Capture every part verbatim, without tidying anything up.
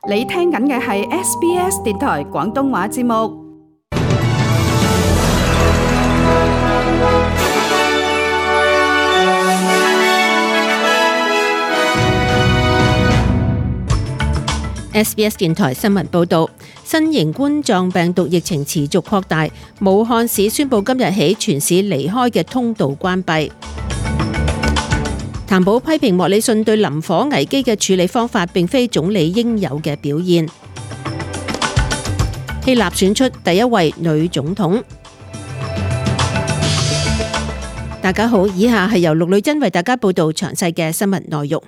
你聽緊嘅係 S B S 電台廣東話節目。S B S 電台新聞報道，新型冠狀病毒疫情持續擴大，武漢市宣布今日起全市離開嘅通道關閉。譚寶批評莫里遜對林火危機嘅處理方法並非總理應有嘅表現。希臘選出第一位女總統。大家好，以下係由陸女珍為大家報道詳細嘅新聞內容。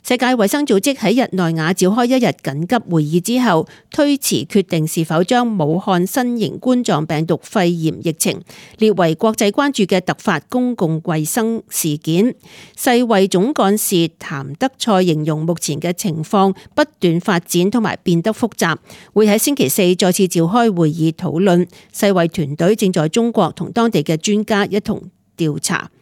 世界衛生組織喺日內瓦召開一日緊急會議之後，推遲決定是否將武漢新型冠狀病毒肺炎疫情列為國際關注嘅突發公共衛生事件。世衛總幹事譚德塞形容目前嘅情況不斷發展同埋變得複雜，會喺星期四再次召開會議討論。世衛團隊正在中國同當地嘅專家一同調查。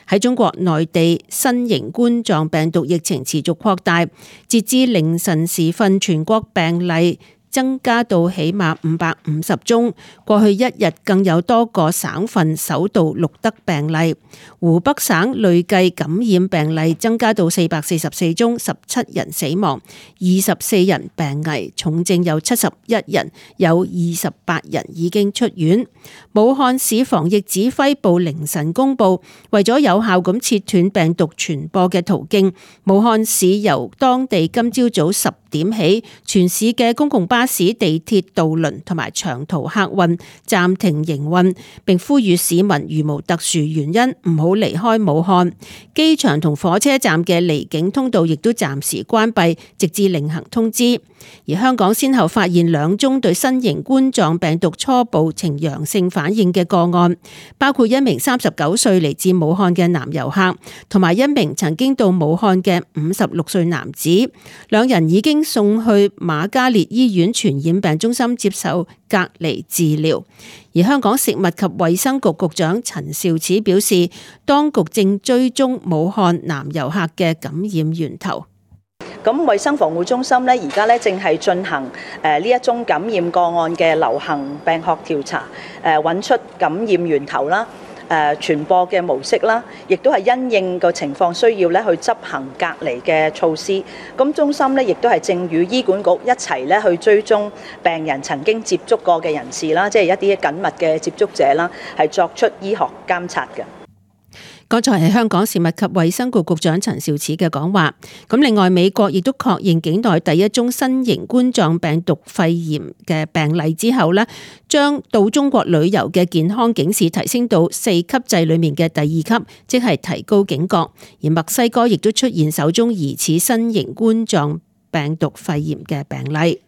喺中國內地，新型冠狀病毒疫情持續擴大，截至凌晨時分，全國病例增加到起碼五百五十宗。過去一日更有多個省份首度錄得病例。湖北省累計感染病例增加到四百四十四宗，十七人死亡，二十四人病危，重症有七十一人，有二十八人已經出院。武漢市防疫指揮部凌晨公布，為咗有效咁切斷病毒傳播嘅途徑，武漢市由當地今朝早十點起，全市嘅公共巴士、地鐵、渡輪同埋長途客運暫停營運，並呼籲市民如無特殊原因唔好離開武漢。機場同火車站嘅離境通道亦都暫時關閉，直至另行通知。而香港先後發現兩宗對新型冠狀病毒初步呈陽性反應嘅個案，包括一名三十九歲嚟自武漢嘅男遊客，同埋一名曾經到武漢嘅五十六歲男子。兩人已經送去瑪嘉烈醫院傳染病中心接受隔離治療。而香港食物及衛生局局長陳肇始表示，當局正追蹤武漢男遊客嘅感染源頭。咁衛生防護中心咧，而家咧正係進行誒呢一宗感染個案嘅流行病學調查，誒揾出感染源頭啦，誒傳播嘅模式啦，亦都係因應個情況需要咧去執行隔離嘅措施。咁中心咧亦都係正與醫管局一齊咧去追蹤病人曾經接觸過嘅人士啦，即係一啲緊密嘅接觸者啦，係作出醫學監察嘅。剛才係香港食物及衛生局局長陳肇始嘅講話。咁另外，美國亦都確認境內第一宗新型冠狀病毒肺炎嘅病例之後呢，將到中國旅遊嘅健康警示提升到四級制裏面嘅第二級，即係提高警覺。而墨西哥亦都出現首宗疑似新型冠狀病毒肺炎嘅病例。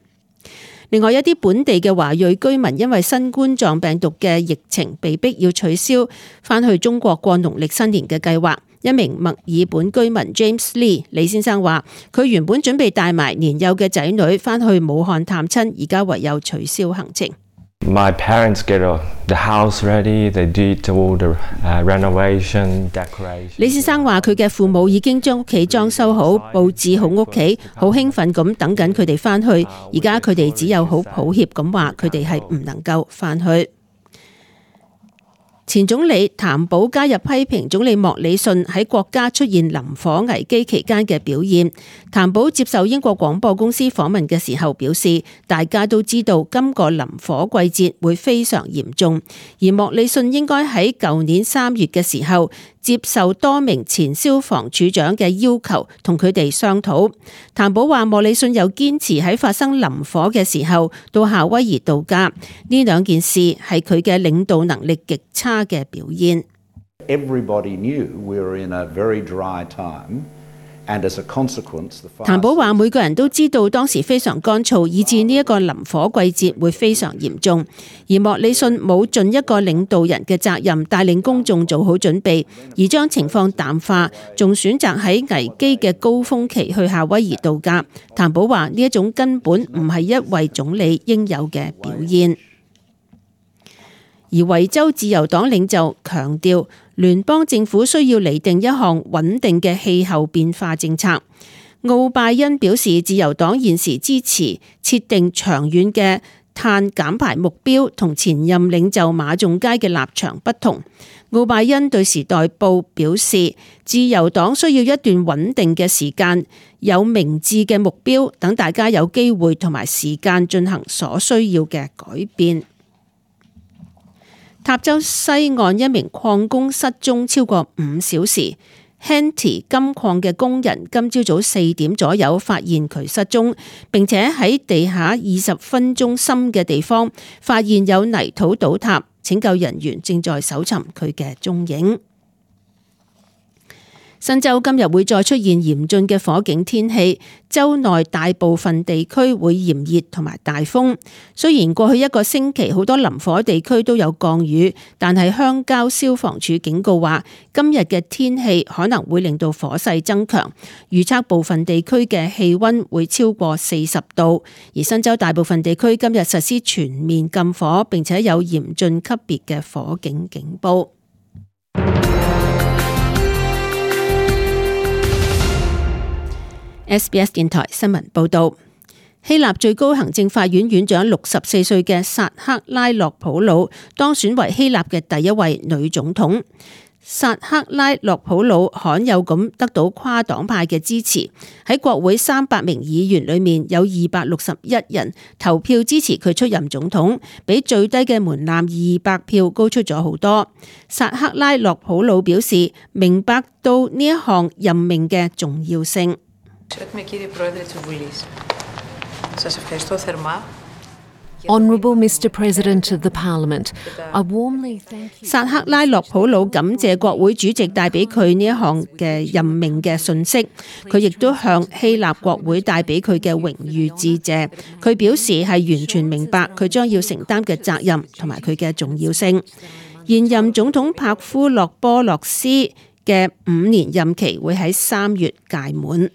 另外一啲本地嘅華裔居民因為新冠狀病毒嘅疫情，被逼要取消返去中國過農曆新年嘅計劃。一名墨爾本居民 James Lee 李先生話，佢原本準備帶埋年幼嘅仔女返去武漢探親，而家唯有取消行程。My parents get the house ready. They did all the renovation, decoration. 李先生話：佢嘅父母已經將屋企裝修好、佈置好屋企，好興奮咁等緊佢哋返去。而家佢哋只有好抱歉咁話，佢哋係唔能夠返去。前總理譚寶加入批評總理莫里遜喺國家出現林火危機期間嘅表現。譚寶接受英國廣播公司訪問嘅時候表示，大家都知道今個林火季節會非常嚴重，而莫里遜應該喺舊年三月嘅時候接受多名前消防處長嘅要求，同佢哋商討。譚寶話莫里遜又堅持喺發生林火嘅時候到夏威夷度假，呢兩件事係佢嘅領導能力極差嘅表現。Everybody knew we were in a very dry time. 譚寶話每個人都知道當時非常乾燥，以致呢一個林火季節會非常嚴重。而莫里遜冇盡一個領導人嘅責任，帶領公眾做好準備，而將情況淡化，仲選擇喺危機嘅高峰期去夏威夷度假。譚寶話呢一種根本唔係一位總理應有嘅表現。而維州自由黨領袖強調，聯邦政府需要擬定一項穩定嘅氣候變化政策。奧拜恩表示，自由黨現時支持設定長遠嘅碳減排目標，同前任領袖馬仲佳嘅立場不同。奧拜恩對時代報表示，自由黨需要一段穩定嘅時間，有明智嘅目標，等大家有機會同埋時間進行所需要嘅改變。塔州西岸一名礦工失蹤超過五小時。Henty 金礦嘅工人今朝早四點左右發現佢失蹤，並且喺地下二十分鐘深嘅地方發現有泥土倒塌，拯救人員正在搜尋佢嘅蹤影。新州今日會再出現嚴峻嘅火警天氣，州內大部分地區會炎熱同埋大風。雖然過去一個星期好多林火地區都有降雨，但係鄉郊消防處警告話，今日嘅天氣可能會令到火勢增強，預測部分地區嘅氣溫會超過四十度。而新州大部分地區今日實施全面禁火，並且有嚴峻級別嘅火警警報。S B S 電台新聞報道，希臘最高行政法院院長六十四歲嘅薩克拉洛普魯當選為希臘嘅第一位女總統。薩克拉洛普魯罕有咁得到跨黨派嘅支持，喺國會三百名議員裏面有二百六十一人投票支持佢出任總統，比最低嘅門檻二百票高出咗好多。薩克拉洛普魯表示明白到呢一項任命嘅重要性。Honourable Mister President of the Parliament, I warmly thank you. 薩克拉洛普魯感謝國會主席帶俾佢呢一項嘅任命嘅信息，佢亦都向希臘國會帶俾佢嘅榮譽致謝。佢表示係完全明白佢將要承擔嘅責任同埋佢嘅重要性。現任總統帕夫洛波洛斯嘅五年任期會喺三月屆滿。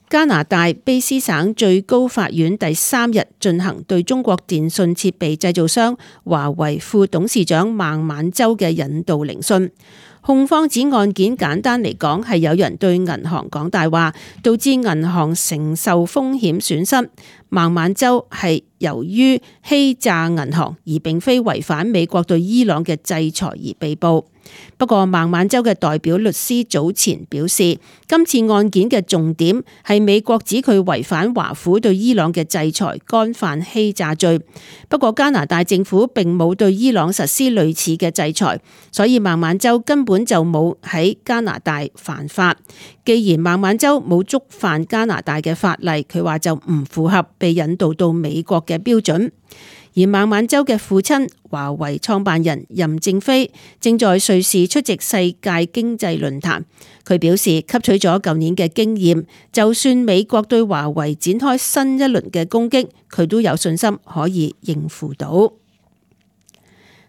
加拿大卑詩省最高法院第三日進行對中國電信設備製造商華為副董事長孟晚舟嘅引渡聆訊。控方指案件簡單嚟講係有人對銀行講大話，導致銀行承受風險損失。孟晚舟係由於欺詐銀行而並非違反美國對伊朗嘅制裁而被捕。不過孟晚舟嘅代表律師早前表示，今次案件嘅重點係美國指佢違反華府對伊朗嘅制裁，干犯欺詐罪。不過加拿大政府並冇對伊朗實施類似嘅制裁，所以孟晚舟根本就冇喺加拿大犯法。既然孟晚舟冇觸犯加拿大嘅法例，佢話就唔符合被引渡到美國嘅標準。而孟晚舟嘅父親華為創辦人任正非正在瑞士出席世界經濟論壇，佢表示吸取咗舊年嘅經驗，就算美國對華為展開新一輪嘅攻擊，佢都有信心可以應付到。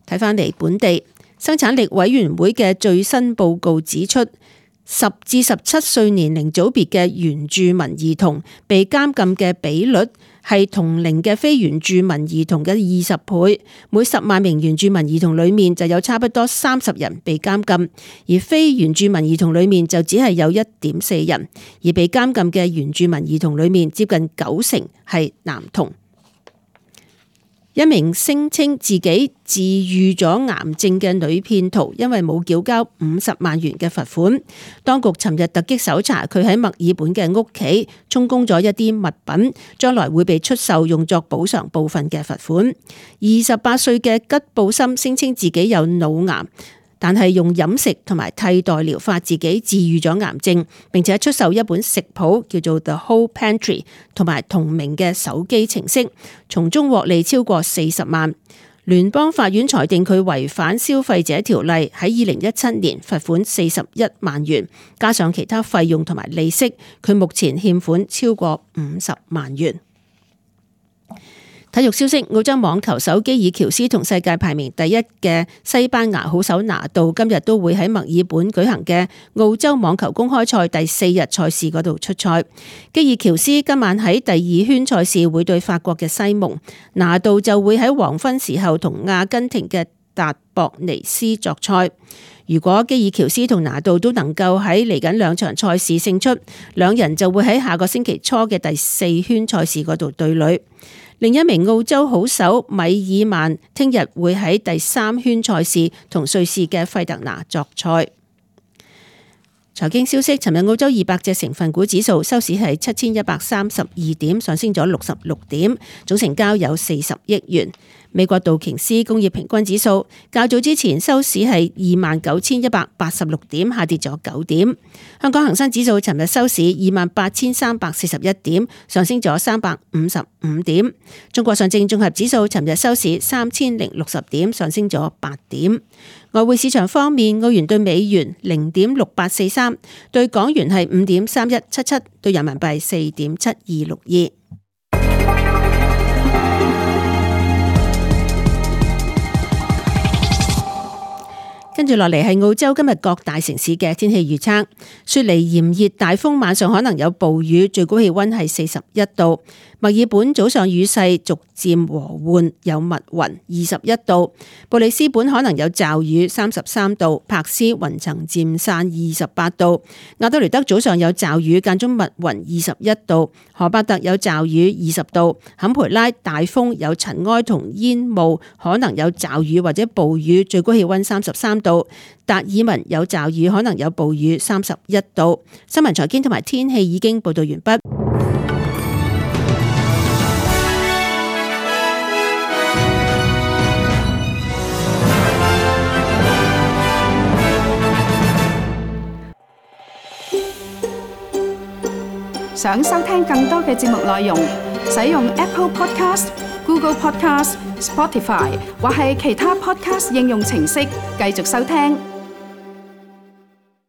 睇返嚟本地生產力委員會嘅最新報告指出，十至十七歲年齡組別嘅原住民兒童被監禁嘅比率係同齡嘅非原住民兒童嘅二十倍，每十萬名原住民兒童裏面就有差不多三十人被監禁，而非原住民兒童裏面就只係有一點四人，而被監禁嘅原住民兒童裏面接近九成係男童。一名聲稱自己治癒咗癌症嘅女騙徒，因為冇繳交五十萬元嘅罰款，當局尋日突擊搜查佢喺墨爾本嘅屋企，充公咗一啲物品，將來會被出售用作補償部分嘅罰款。二十八歲嘅吉布森聲稱自己有腦癌，但係用飲食同埋替代療法自己治癒咗癌症，並且出售一本食譜叫做 The Whole Pantry 同埋同名嘅手機程式，從中獲利超過四十萬。聯邦法院裁定佢違反消費者條例，喺二零一七年罰款四十一萬元，加上其他費用同埋利息，佢目前欠款超過五十萬元。體育消息，澳洲網球手基爾喬斯同世界排名第一嘅西班牙好手拿度今日都會喺墨爾本舉行嘅澳洲網球公開賽第四日賽事嗰度出賽。基爾喬斯今晚喺第二圈賽事會對法國嘅西蒙，拿度就會喺黃昏時候同阿根廷嘅達博尼斯作賽。如果基爾喬斯同拿度都能夠喺嚟緊兩場賽事勝出，兩人就會喺下個星期初嘅第四圈賽事嗰度對壘。另一名澳洲好手米爾曼聽日會喺第三圈賽事同瑞士嘅費特拿作賽。財經消息，尋日澳洲二百隻成分股指數收市係七千一百三十二點，上升咗六十六點，總成交有四十億元。美國道瓊斯工業平均指數較早之前收市係二萬九千一百八十六點，下跌咗九點。香港恒生指數尋日收市二萬八千三百四十一點，上升咗三百五十五點。中國上證綜合指數尋日收市三千零六十點，上升咗八點。外匯市場方面，澳元對美元零點六八四三，對港元係五點三一七七，對人民幣四點七二六二。跟住落嚟係澳洲今日各大城市嘅天氣預測。雪梨炎熱大風，晚上可能有暴雨，最高氣溫係四十一度。墨爾本早上雨勢逐漸和緩，有密雲，二十一度。布里斯本可能有驟雨，三十三度。柏斯雲層漸散，二十八度。亞德雷德早上有驟雨，間中密雲，二十一度。荷伯特有驟雨，二十度。坎培拉大風，有塵埃同煙霧，可能有驟雨或者暴雨，最高氣溫三十三度。達爾文有驟雨，可能有暴雨，三十一度。新聞財經同埋天氣已經報道完畢。想收聽更多嘅節目內容，使用 Apple Podcast、Google Podcast、Spotify 或係其他 Podcast 應用程式繼續收聽。